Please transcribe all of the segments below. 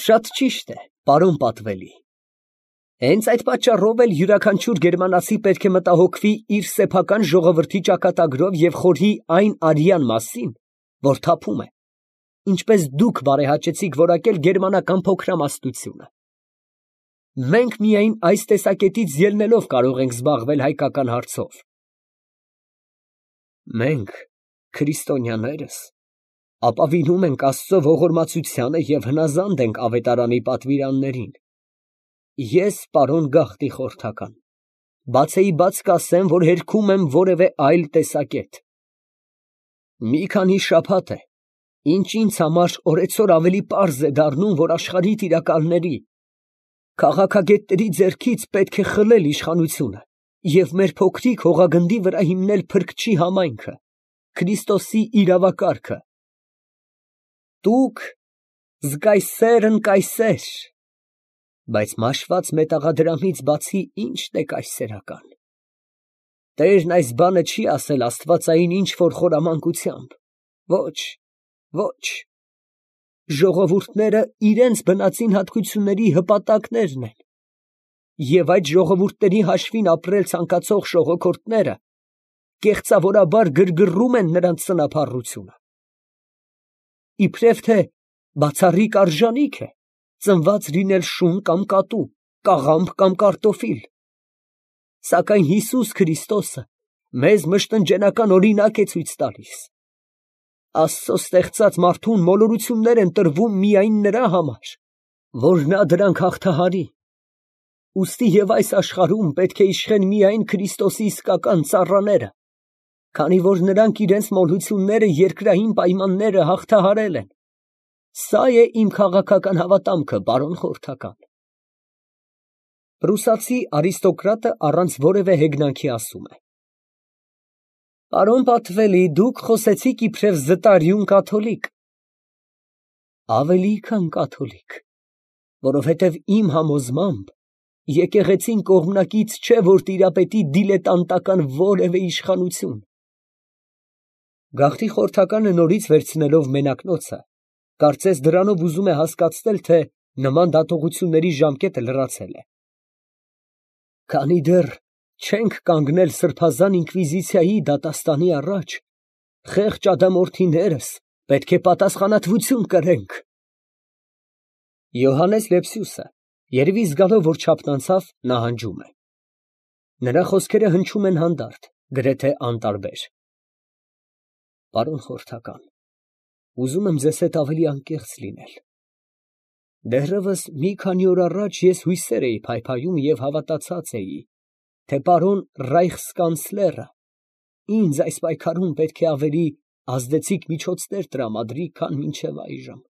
Շատ ճիշտ է, պարոն պատվելի։ Հենց այդ պատճառով էլ յուրաքանչյուր գերմանացի պետք է մտահոգվի իր սեփական ժողովրդի ճակատագրով և խորհի այն արյան մասին, որ թափում է, ինչպես դուք բարեհաճեցիք որակել գերմանական փոքրամասնությունը։ Մենք միայն այս տեսակետից ելնելով կարող ենք զբաղվել հայկական հարցով։ Մենք, քրիստոնյաներս, ապավինում ենք Աստծո ողորմածությանը և հնազանդ ենք ավետարանի պատվիրաններին։ Ես, պարոն գաղտնի խորհրդական, բացեիբաց կասեմ, որ հերքում եմ որևէ այլ տեսակետ։ Մի քանի շաբաթ է, ինչ ինձ համար օրեցօր ավելի պարզ է դառնում, որ աշխարհի տիրակալների, քաղաքագետների ձեռքից պետք է խլել իշխանությունը և մեր փոքրիկ հողագնդի վրա հիմնել փրկչի համայնքը, Քրիստոսի իրավակարգը։ Տուք զգայսերն կայսեր, բայց մաշված մետաղադրամից բացի ի՞նչն է կայսերական։ Տերն այս բանը չի ասել աստվածային ինչ֊որ խորամանկությամբ։ Ոչ, ոչ։ Ժողովուրդները իրենց բնածին հատկությունների հպատակներն են, և այդ ժողովուրդների հաշվին ապրել ցանկացող շողոքորթները կեղծավորաբար գրգռում են նրանց սնափառությունը։ Իբրև թե բացառիկ արժանիք է ծնված լինել շուն կամ կատու, կաղամբ կամ կարտոֆիլ։ Սակայն Հիսուս Քրիստոսը մեզ մշտնջենական օրինակ է ցույց տալիս։ Աստծո ստեղծած մարդուն մոլորություններ են տրվում միայն նրա համար, որ նա դրանք հաղթահարի։ Ուստի և այս աշխարհում պետք է իշխեն միայն Քրիստոսի իսկական ծառաները, քանի որ նրանք իրենց մոլությունները երկրային պայմանները հաղթահարել են։ Սա է իմ քաղաքական հավատամքը, պարոն խորհրդական։ Պրուսացի արիստոկրատը առանց որևէ հեգնանքի ասում է. Պարոն պատվելի, դուք խոսեցիք իբրև զտարյուն կաթոլիկ։ Ավելի քան կաթոլիկ, որովհետև իմ համոզմամբ եկեղեցին կողմնակից չէ, որ տիրապետի դիլետանտական որևէ իշխանություն։ Գաղթի խորհրդականը նորից վերցնելով մենակնոցը, կարծես դրանով ուզում է հասկացնել, թե նման դատողությունների ժամկետը լրացել է։ Քանի դեռ չենք կանգնել սրբազան ինկվիզիցիայի դատաստանի առաջ, խեղճ ադամորդիներս պետք է պատասխանատվություն կրենք։ Յոհաննես Լեպսիուսը, երևի զգալով, որ չափն անցավ, նահանջում է։ Նրա խոսքերը հնչում են հանդարտ, գրեթե անտարբեր։ Պարոն խորհրդական, ուզում եմ ձեզ հետ ավելի անկեղծ լինել։ Դեռևս մի քանի օր առաջ ես հույսեր էի փայփայում և հավատացած էի, թե պարոն ռայխսկանցլերը ինձ այս պայքարում պետք է ավելի ազդեցիկ միջոցներ տրամադրի, քան մինչև այժմ։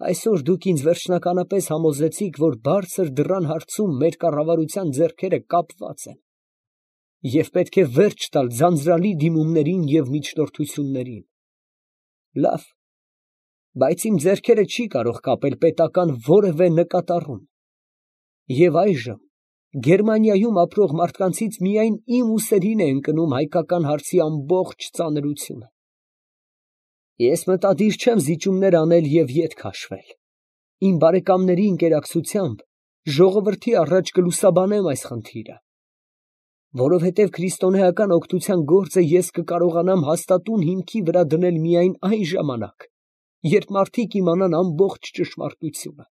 Այսօր դուք ինձ վերջնականապես համոզեցիք, որ բարձր դռան հարցում մեր կառավարության ձեռքերը կապված են, և պետք է վերջ տալ ձանձրալի դիմումներին և միջնորդություններին։ Լավ, բայց իմ ձեռքերը չի կարող կապել պետական որևէ նկատառում, և այժմ Գերմանիայում ապրող մարդկանցից միայն իմ ուսերին է ընկնում հայկական հարցի ամբողջ ծանրությունը։ Ես մտադիր չեմ զիջումներ անել և ետ քաշվել։ Իմ բարեկամների ընկերակցությամբ ժողովրդի առաջ կլուսաբանեմ այս խնդիրը, որովհետև քրիստոնեական օգնության գործը ես կկարողանամ հաստատուն հիմքի վրա դնել միայն այն ժամանակ, երբ մարդիկ իմանան ամբողջ ճշմարտությունը։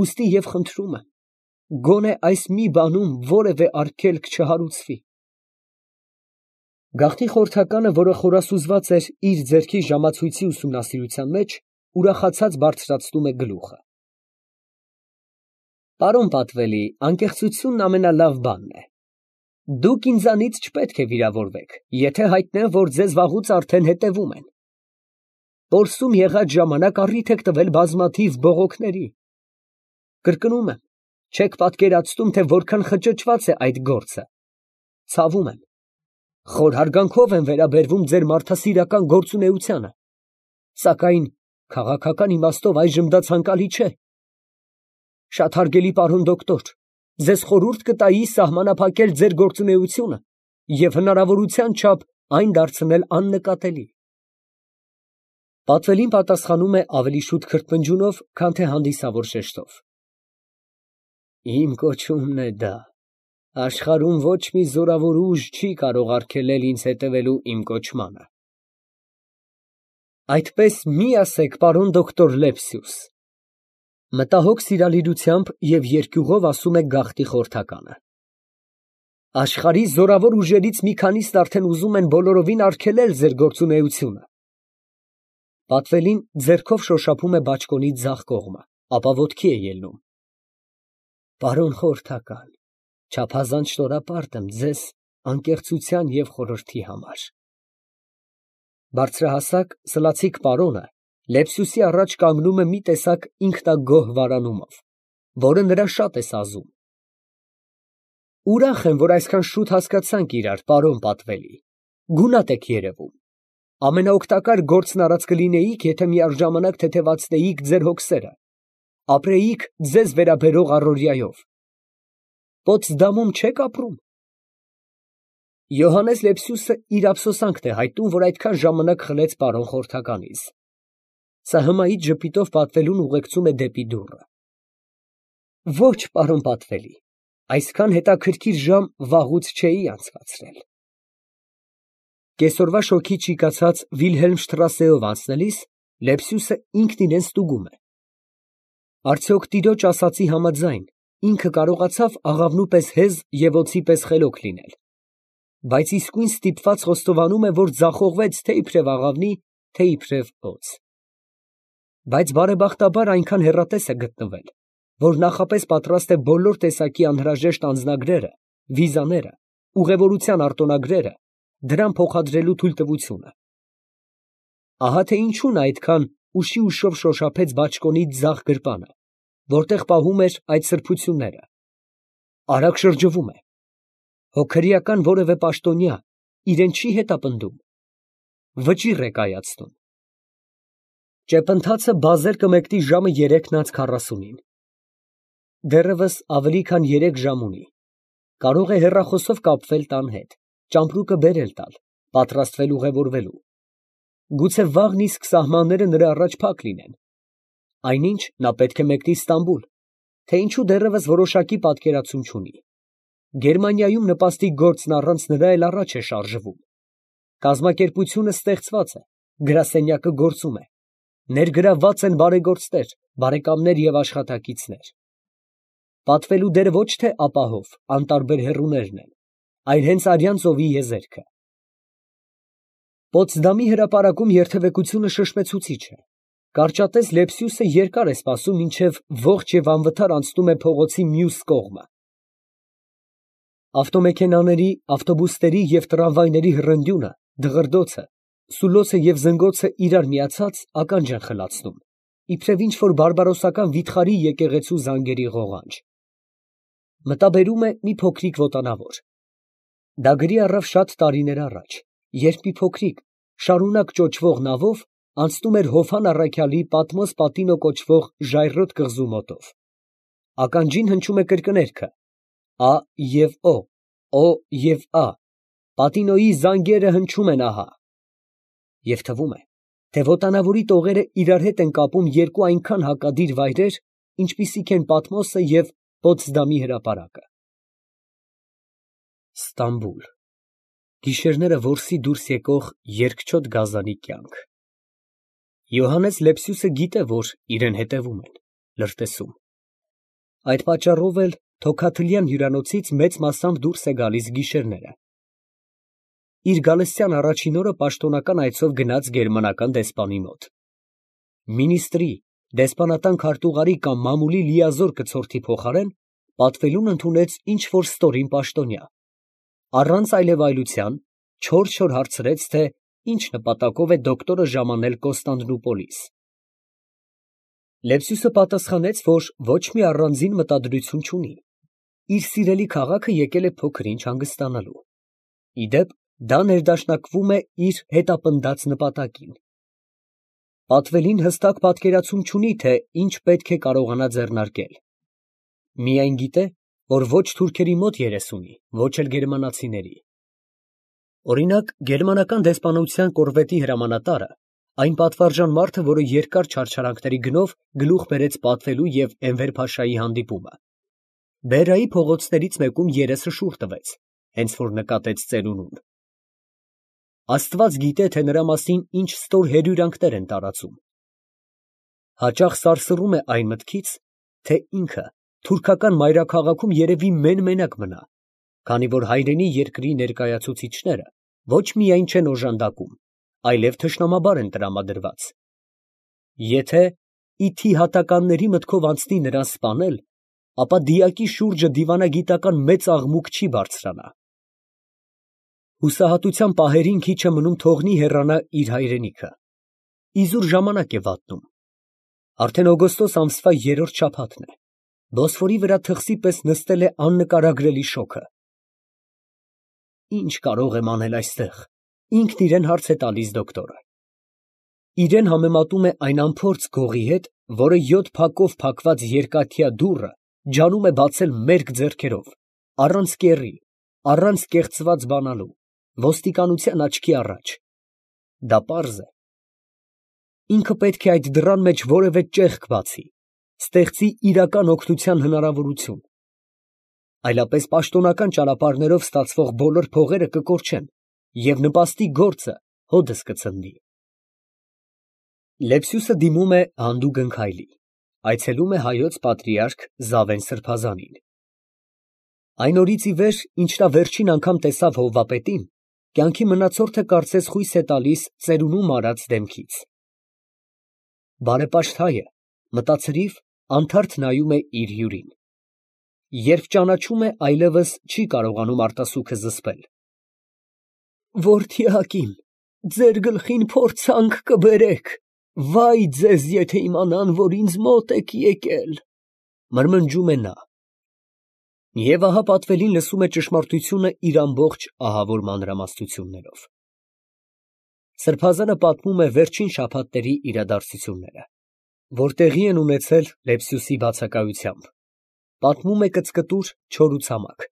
Ուստի և խնդրում եմ, գոնե այս մի բանում որևէ արգելք չհարուցվի։ Գաղթի խորհրդականը, որը խորասուզված էր իր ձեռքի ժամացույցի ուսումնասիրության մեջ, ուրախացած բարձրացնում է գլուխը։ Պարոն պատվելի, անկեղծությունն ամենալավ բանն է։ Դուք ինձանից չպետք է վիրավորվեք, եթե հայտնեմ, որ ձեզ վաղուց արդեն հետևում են։ Պորսում եղած ժամանակ առիթ եք տվել բազմաթիվ բողոքների։ Կրկնում եմ, չեք պատկերացնում, թե որքան խճճված է այդ գործը։ Ցավում եմ։ Խոր հարգանքով եմ վերաբերվում ձեր մարդասիրական գործունեությանը, սակայն քաղաքական իմաստով այժմ դա ցանկալի չէ։ Շատ հարգելի պարոն դոկտոր, ձեզ խորհուրդ կտայի սահմանափակել ձեր գործունեությունը և հնարավորության չափ այն դարձնել աննկատելի։ Պատվելին պատասխանում է ավելի շուտ քրթմնջյունով, քան թե հանդիսավոր շեշտով։ Իմ կոչումն է դա։ Աշխարհում ոչ մի զորավոր ուժ չի կարող արգելել ինձ հետևելու իմ կոչմանը։ Այդպես մի ասեք, պարոն դոկտոր Լեպսիուս, մտահոգ սիրալիրությամբ և երկյուղով ասում է գաղտնի խորհրդականը։ Աշխարհի զորավոր ուժերից մի քանիսն արդեն ուզում են բոլորովին արգելել ձեր գործունեությունը։ Պատվելին ձեռքով շոշափում է բաճկոնի ձախ կողմը, ապա ոտքի է ելնում։ Պարոն խորհրդական, չափազանց շնորհապարտ եմ ձեզ անկեղծության և խորհրդի համար։ Բարձրահասակ սլացիկ պարոնը Լեպսիուսի առաջ կանգնում է մի տեսակ ինքնագոհ վարանումով, որը նրա շատ է սազում։ Ուրախ եմ, որ այսքան շուտ հասկացանք իրար, պարոն Պատվելի, գունատ եք երևում։ Ամենաօգտակար գործն արած կլինեիք, եթե միաժամանակ թեթևացնեիք ձեր հոգսերը, ապրեիք ձեզ վերաբերող առօրյայով։ Պոտսդամում չեք ապրում։ Յոհաննես Լեպսիուսը իր ափսոսանքն է հայտնում, որ այդքան ժամանակ խլեց պարոն խորհրդականից։ Սա հմայիչ ժպիտով Պատվելուն ուղեկցում է դեպի դուռը։ Ոչ, պարոն Պատվելի, այսքան հետաքրքիր ժամ վաղուց չէի անցկացրել։ Կեսօրվա շոգի ճիկացած Վիլհելմշտրասեով անցնելիս Լեպսիուսը ինքն իրեն ստուգում է։ Արդյոք տիրոջ ասածի համաձայն ինքը կարողացավ աղավնու պես հեզ և օձի պես խելոք լինել, բայց իսկույն ստիպված խոստովանում է, որ ձախողվեց թե իբրև աղավնի, թե իբրև օձ։ Բայց բարեբախտաբար այնքան հեռատես է գտնվել, որ նախապես պատրաստ է բոլոր տեսակի անհրաժեշտ անձնագրերը, վիզաները, ուղևորության արտոնագրերը դրան փոխադրելու թույլտվությունը։ Ահա թե ինչու նա այդքան ուշի ուշով շոշափեց բաճկոնի ձախ գրպանը, որտեղ պահում էր այդ սրբությունները։ Արագ շրջվում է։ Հոգրիական որևէ պաշտոնյա իրեն չի հետապնդում։ Վճիռ է կայացնում։ Ճեպընթացը բազեր կմեկնի ժամը 3:40-ին։ Դեռևս ավելի քան 3 ժամ ունի։ Կարող է հեռախոսով կապվել տան հետ, ճամպրուկը բերել տալ, պատրաստվել ուղևորվելու։ Գուցե վաղն իսկ սահմանները նրա առաջ փակ լինեն։ Այնինչ նա պետք է մեկնի Ստամբուլ, թե ինչու դեռևս որոշակի պատկերացում չունի։ Գերմանիայում նպաստի գործն առանց նրա էլ առաջ է շարժվում։ Կազմակերպությունը ստեղծված է, գրասենյակը գործում է, ներգրավված են բարեգործներ, բարեկամներ և աշխատակիցներ։ Պատվելու դերը ոչ թե ապահով, անտարբեր հեռուներն են, այլ հենց արյան ծովի եզերքը։ Պոտսդամի հրապարակում երթևեկությունը շշմեցուցիչ է։ Կարճատես Լեպսիուսը երկար է սպասում, մինչև ողջ և անվթար անցնում է փողոցի մյուս կողմը։ Ավտոմեքենաների, ավտոբուսների և տրամվայների հռնդյունը, դղրդոցը, սուլոցը և զնգոցը իրար միացած ականջ են խլացնում, իբրև ինչ֊որ բարբարոսական վիթխարի եկեղեցու զանգերի ղողանջ։ Մտաբերում է մի փոքրիկ վոտանավոր։ Դա գրի առավ շատ տարիներ առաջ, երբ մի փոքրիկ, շարունակ ճոճվող նավով անցնում էր Հովհան առաքյալի Պատմոս Պատինո կոչվող ժայռոտ կղզու մոտով։ Ականջին հնչում է կրկներգը. Ա և Օ և Ա, Պատինոյի զանգերը հնչում են ահա։ Եվ թվում է, թե վոտանավորի տողերը իրար հետ են կապում երկու այնքան հակադիր վայրեր, ինչպիսիք են Պատմոսը և Պոտսդամի հրապարակը։ Ստամբուլ, գիշերները որսի դուրս եկող երկչոտ գազանի կյանք։ Յոհաննես Լեպսիուսը գիտե, որ իրեն հետևում են, լրտեսում։ Այդ պատճառով էլ թոքաթլյան հյուրանոցից մեծ մասամբ դուրս է գալիս գիշերները։ Իր գալստյան առաջին օրը պաշտոնական այցով գնաց գերմանական դեսպանի մոտ։ Մինիստրի, դեսպանատան քարտուղարի կամ մամուլի լիազոր կցորդի փոխարեն Պատվելուն ընդունեց ինչ֊որ ստորին պաշտոնյա։ Առանց այլևայլության չոր հարցրեց, թե ինչ նպատակով է դոկտորը ժամանել Կոստանդնուպոլիս։ Լեպսիուսը պատասխանեց, որ ոչ մի առանձին մտադրություն չունի։ Իր սիրելի քաղաքը եկել է փոքր-ինչ հանգստանալու։ Ի դեպ, դա ներդաշնակվում է իր հետապնդած նպատակին։ Պատվելին հստակ պատկերացում չունի, թե ինչ պետք է կարողանա ձեռնարկել։ Միայն գիտե, որ ոչ թուրքերի մոտ երես ունի, ոչ էլ գերմանացիների։ Օրինակ, գերմանական դեսպանության կորվետի հրամանատարը Այն պատվարժան մարդը, որը երկար չարչարանքների գնով գլուխ բերեց պատվելու և Էնվեր փաշայի հանդիպումը։ Բերայի փողոցներից մեկում երեսը շուռ տվեց, հենց որ նկատեց ծերունուն։ Աստված գիտե, թե նրա մասին ինչ ստոր հրյուրանքներ են տարածում։ Հաճախ սարսռում է այն մտքից, թե ինքը թուրքական մայրաքաղաքում երևի մեն֊մենակ մնա, քանի որ հայրենի երկրի ներկայացուցիչները ոչ միայն չեն օժանդակում, այլև թշնամաբար են տրամադրված։ Եթե ի թիհատականների մտքով անցնի նրան սպանել, ապա դիակի շուրջը դիվանագիտական մեծ աղմուկ չի բարձրանա։ Հուսահատության պահերին քիչ է մնում թողնի հեռանա իր հայրենիքը։ Իզուր ժամանակ է վատնում։ Արդեն օգոստոս ամսվա 3-րդ շաբաթն է։ Բոսֆորի վրա թխսի պես նստել է աննկարագրելի շոգը։ Ինչ կարող եմ անել այստեղ, ինքն իրեն հարց է տալիս դոկտորը։ Իրեն համեմատում է այն անփորձ գողի հետ, որը 7 փակով փակված երկաթյա դուռը ջանում է բացել մերկ ձեռքերով, առանց կեռի, առանց կեղծված բանալու, ոստիկանության աչքի առաջ։ Դա պարզ է։ Ինքը պետք է այդ դռան մեջ որևէ ճեղք բացի, ստեղծի իրական օգնության հնարավորություն։ Այլապես պաշտոնական ճանապարհներով ստացվող բոլոր փողերը կկորչեն և նպաստի գործը հօդս կցնդի։ Լեպսյուսը դիմում է հանդուգն քայլի, այցելում է հայոց պատրիարք Զավեն սրբազանին։ Այն օրից ի վեր, ինչ նա վերջին անգամ տեսավ հովվապետին, կյանքի մնացորդը կարծես խույս է տալիս ծերունու մարած դեմքից։ Բարեպաշտ հայը մտածրիվ, անթարթ նայում է իր հյուրին։ Երբ ճանաչում է, այլևս չի կարողանում արտասուքը զսպել։ Որդյակիմ, ձեր գլխին փորձանք կբերեք, վայ ձեզ, եթե իմանան, որ ինձ մոտ եք եկել, մրմնջում է նա։ Եվ ահա պատվելին լսում է ճշմարտությունը իր ամբողջ ահավոր մանրամասնություններով։ Սրբազանը պատմում է վերջին շաբաթների իրադարձությունները, որ տեղի են ունեցել Լեպսյուսի բացակայությամբ։ Պատմում է կծկտուր, չորուցամակ,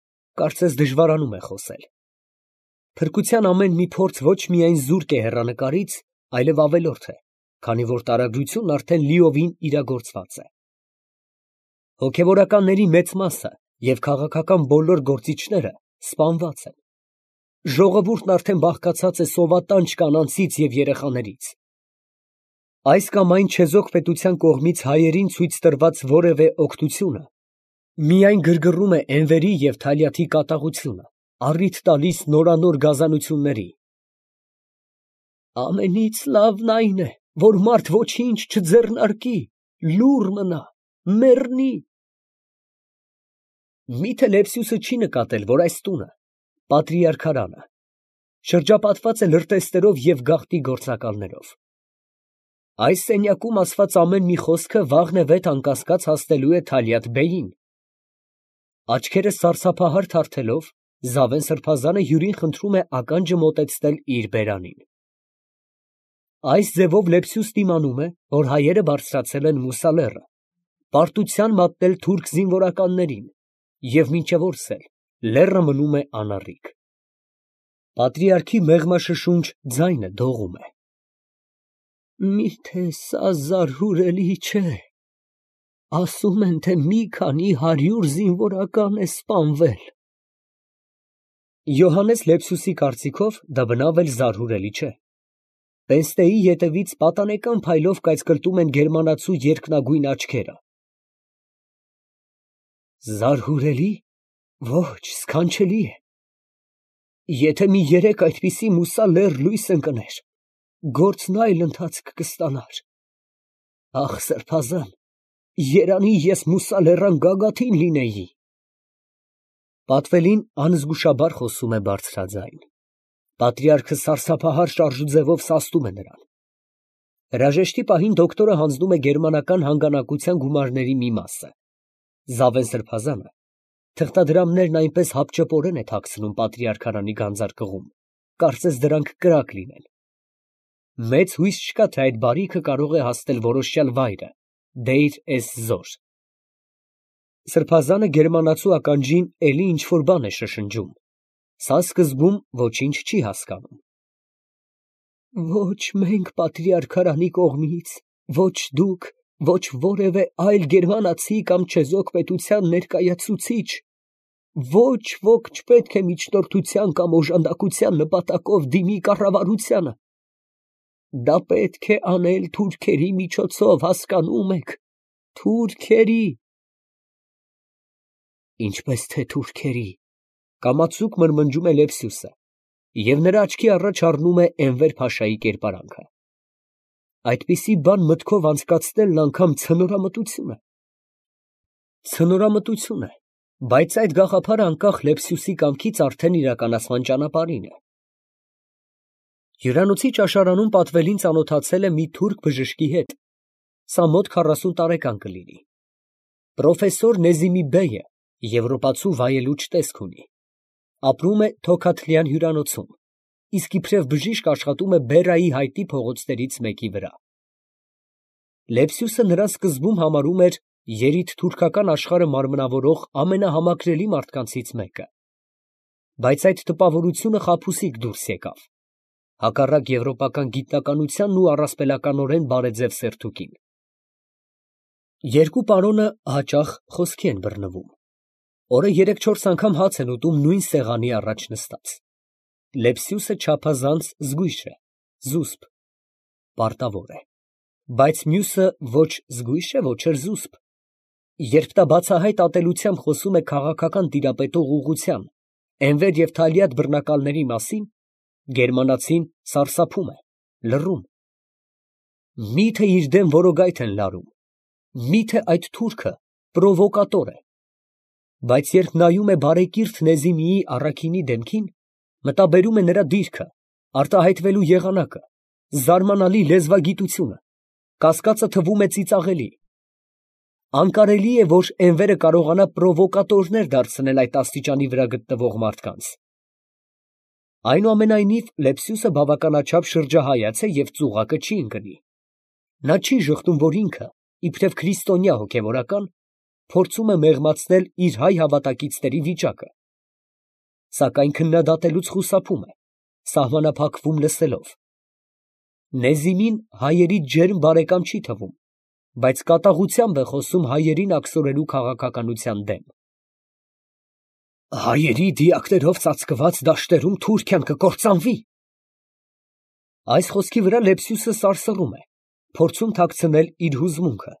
կարծես դժվարանում է խոսել։ Փրկության ամեն մի փորձ ոչ միայն զուրկ է հեռանկարից, այլև ավելորդ է, քանի որ տարագրությունն արդեն լիովին իրագործված է։ Հոգևորականների մեծ մասը և քաղաքական բոլոր գործիչները սպանված են։ Ժողովուրդն արդեն բաղկացած է սովատանչ կանանցից և երեխաներից։ Այս կամ այն չեզոք պետության կողմից հայերին ցույց տրված որևէ օգնությունը միայն գրգռում է Էնվերի և Թալյաթի կատաղությունը, առիթ տալիս նորանոր գազանությունների։ Ամենից լավն այն է, որ մարդ ոչինչ չձեռնարկի, լուռ մնա, մեռնի։ Միթե Լեպսյուսը չի նկատել, որ այս տունը, պատրիարքարանը, շրջապատված է լրտեսներով և գաղտնի գործակալներով։ Այս սենյակում ասված ամեն մի խոսքը վաղնևեթ անկասկած հասնելու է Թալյաթ֊բեյին։ Աչքերը սարսափահար թարթելով, Զավեն սրբազանը հյուրին խնդրում է ականջը մոտեցնել իր բերանին։ Այս ձևով Լեպսյուս դիմանում է, որ հայերը բարձրացել են Մուսա լեռը, պարտության մատնել թուրք զինվորականներին, և մինչև օրս էլ լեռը մնում է անառիկ։ Պատրիարքի մեղմաշշունչ ձայնը դողում է։ Միթե սա զարհուրելի չէ։ Ասում են, թե մի քանի 100 զինվորական է սպանվել։ Յոհաննես Լեպսյուսի կարծիքով դա բնավ էլ զարհուրելի չէ։ Պենստեի ետևից պատանեկան փայլով կայծկլտում են գերմանացու երկնագույն աչքերը։ Զարհուրելի։ Ոչ, սքանչելի է։ Եթե մի 3 այդպիսի Մուսա լեռ լույս ընկներ, գործն այլ ընթացք կստանար։ Ախ, սրբազան, երանի ես Մուսա լեռան գագաթին լինեի։ Պատվելին անզգուշաբար խոսում է բարձրաձայն։ Պատրիարքը սարսափահար շարժուձևով սաստում է նրան։ Հրաժեշտի պահին դոկտորը հանձնում է գերմանական հանգանակության գումարների մի մասը։ Զավեն սրբազանը թղթադրամներն այնպես հապճեպորեն է թաքցնում պատրիարքարանի գանձարկղում, կարծես դրանք կրակ լինեն։ Մեծ հույս չկա, թե այդ բարիքը կարող է հասնել որոշյալ վայրը՝ Դեյր էզ֊Զոր։ Սրբազանը գերմանացու ականջին էլի ինչ֊որ բան է շշնջում։ Սա սկզբում ոչինչ չի հասկանում։ Ոչ մենք պատրիարքարանի կողմից, ոչ դուք, ոչ որևէ այլ գերմանացի կամ չեզոք պետության ներկայացուցիչ, ոչ ոք չպետք է միջնորդության կամ օժանդակության նպատակով դիմի կառավարությանը։ Դա պետք է անել թուրքերի միջոցով, հասկանում եք, թուրքերի։ Ինչպես թե թուրքերի, կամացուկ մրմնջում է Լեպսյուսը, և նրա աչքի առաջ առնում է Էնվեր փաշայի կերպարանքը։ Այդպիսի բան մտքով անցկացնելն անգամ ցնորամտություն է։ Ցնորամտություն է, բայց այդ գաղափարը անկախ Լեպսյուսի կամքից արդեն իրականացման ճանապարհին է։ Հյուրանոցի ճաշարանում պատվելին ծանոթացել է մի թուրք բժշկի հետ, սա մոտ 40 տարեկան կլինի։ Պրոֆեսոր Նեզիմի բեյը եվրոպացու վայելուչ տեսք ունի, ապրում է Թոքաթլյան հյուրանոցում, իսկ իբրև բժիշկ աշխատում է Բերայի հայտի փողոցներից մեկի վրա։ Լեպսյուսը նրան սկզբում համարում էր երիտթուրքական աշխարհը մարմնավորող ամենահամակրելի մարդկանցից մեկը, բայց այդ տպավորությունը խաբուսիկ դուրս եկավ, հակառակ եվրոպական գիտնականությանն ու առասպելականորեն բարեձև սերթուկին։ Երկու պարոնը հաճախ խոսքի են բռնվում, օրը 3-4 անգամ հաց են ուտում նույն սեղանի առաջ նստած։ Լեպսյուսը չափազանց զգույշ է, զուսպ, պարտավոր է, բայց մյուսը ոչ զգույշ է, ոչ էլ զուսպ։ Երբ նա բացահայտ ատելությամբ խոսում է քաղաքական տիրապետող ուղղության, Էնվեր և Թալիաթ բռնակալների մասին, գերմանացին սարսափում է, լռում։ Մի՞թե իր դեմ որոգայթ են լարում, մի՞թե այդ թուրքը պրովոկատոր է։ Բայց երբ նայում է բարեկիրթ Նեզիմիի առաքինի դեմքին, մտաբերում է նրա դիրքը, արտահայտվելու եղանակը, զարմանալի լեզվագիտությունը, կասկածը թվում է ծիծաղելի։ Անկարելի է, որ Էնվերը կարողանա պրովոկատորներ դարձնել այդ աստիճանի վրա գտնվող մարդկանց։ Այնուամենայնիվ, Լեպսյուսը բավականաչափ շրջահայաց է և ծուղակը չի ընկնի։ Նա չի ժխտում, որ ինքը, իբրև քրիստոնյա հոգևորական, փորձում է մեղմացնել իր հայ հավատակիցների վիճակը, սակայն քննադատելուց խուսափում է, սահմանափակվում լսելով։ Նեզիմին հայերի ջերմ բարեկամ չի թվում, բայց կատաղությամբ է խոսում հայերին աքսորելու քաղաքականության դեմ։ Հայերի դիակներով ծածկված դաշտերում Թուրքիան կկործանվի։ Այս խոսքի վրա Լեպսյուսը սարսռում է, փորձում թաքցնել իր հուզմունքը։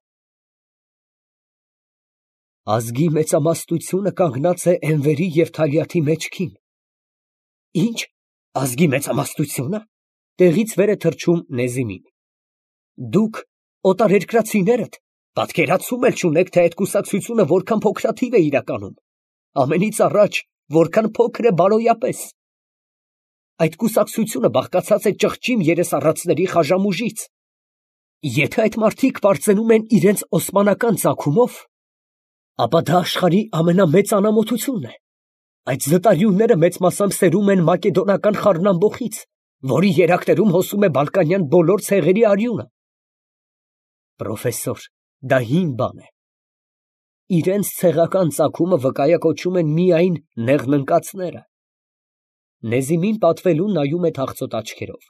Ազգի մեծամասնությունը կանգնած է Էնվերի և Թալիաթի մեջքին։ Ինչ, ազգի մեծամասնությունը, տեղից վեր է թռչում Նեզիմին։ Դուք, օտարերկրացիներդ, պատկերացում էլ չունեք, թե այդ կուսակցությունը որքան փոքրաթիվ է իրականում, ամենից առաջ, որքան փոքր է բարոյապես։ Այդ կուսակցությունը բաղկացած է ճղճիմ երեսառածների խաժամուժից։ Եթե այդ մարդիկ պարծենում են իրենց օսմանական ծագումով, ապա դա աշխարհի ամենամեծ անամոթությունն է։ Այդ զտարյունները մեծ մասամբ սերում են մակեդոնական խառնամբոխից, որի երակներում հոսում է բալկանյան բոլոր ցեղերի արյունը։ Պրոֆեսոր, դա հին բան է։ Իրենց ցեղական ծագումը վկայակոչում են միայն նեղնընկածները։ Նեզիմին պատվելուն նայում է թախծոտ աչքերով։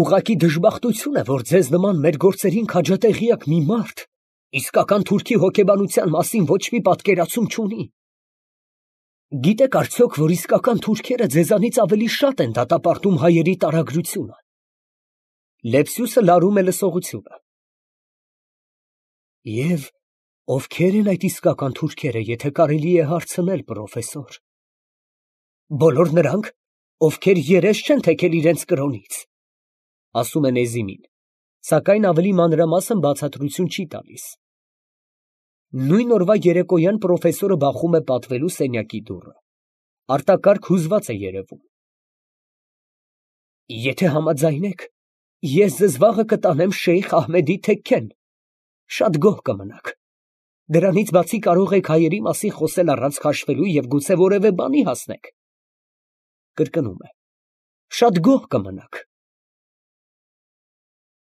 Ուղղակի դժբախտություն է, որ ձեզ նման մեր գործերին քաջատեղյակ մի մարդ իսկական թուրքի հոգեբանության մասին ոչ մի պատկերացում չունի։ Գիտեք արդյոք, որ իսկական թուրքերը ձեզանից ավելի շատ են դատապարտում հայերի տարագրությունը։ Լեպսյուսը լարում է լսողությունը։ Եվ ովքեր են այդ իսկական թուրքերը, եթե կարելի է հարցնել, պրոֆեսոր։ Բոլոր նրանք, ովքեր երես չեն թեքել իրենց կրոնից, ասում է Նեզիմին, սակայն ավելի մանրամասն բացատրություն չի տալիս։ Նույն օրվա երեկոյան պրոֆեսորը բախում է պատվելու սենյակի դուռը։ Արտակարգ հուզված է երևում։ Եթե համաձայնեք, ես ձեզ վաղը կտանեմ Շեյխ Ահմեդի թեքքեն, շատ գոհ կմնաք։ Դրանից բացի կարող եք հայերի մասին խոսել առանց քաշվելու և գուցե որևէ բանի հասնեք։ Կրկնում է. շատ գոհ կմնաք։